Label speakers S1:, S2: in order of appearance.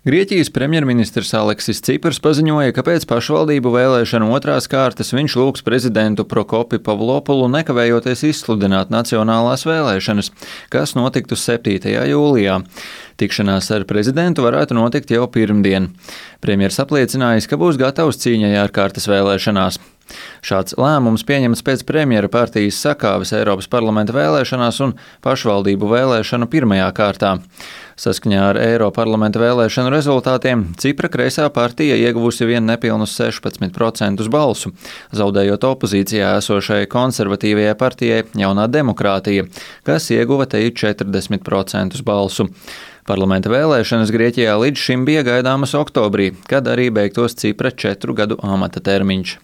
S1: Grieķijas premjerministrs Aleksis Ciprs paziņoja, ka pēc pašvaldību vēlēšanu otrās kārtas viņš lūgs prezidentu Prokopi Pavlopulu nekavējoties izsludināt nacionālās vēlēšanas, kas notiktu 7. jūlijā. Tikšanās ar prezidentu varētu notikt jau pirmdien. Premjers apliecinājis, ka būs gatavs cīņai ārkārtas vēlēšanās. Šāds lēmums pieņemts pēc premjera partijas sakāves Eiropas parlamenta vēlēšanās un pašvaldību vēlēšanu pirmajā kārtā. Saskaņā ar Eiroparlamenta vēlēšanu rezultātiem Cipra kreisā partija ieguvusi vien nepilnus 16% balsu, zaudējot opozīcijā esošai konservatīvajai partijai Jaunā demokrātija, kas ieguva te 40% balsu. Parlamenta vēlēšanas Grieķijā līdz šim bija gaidāmas oktobrī, kad arī beigtos Cipra 4 gadu amata termiņš.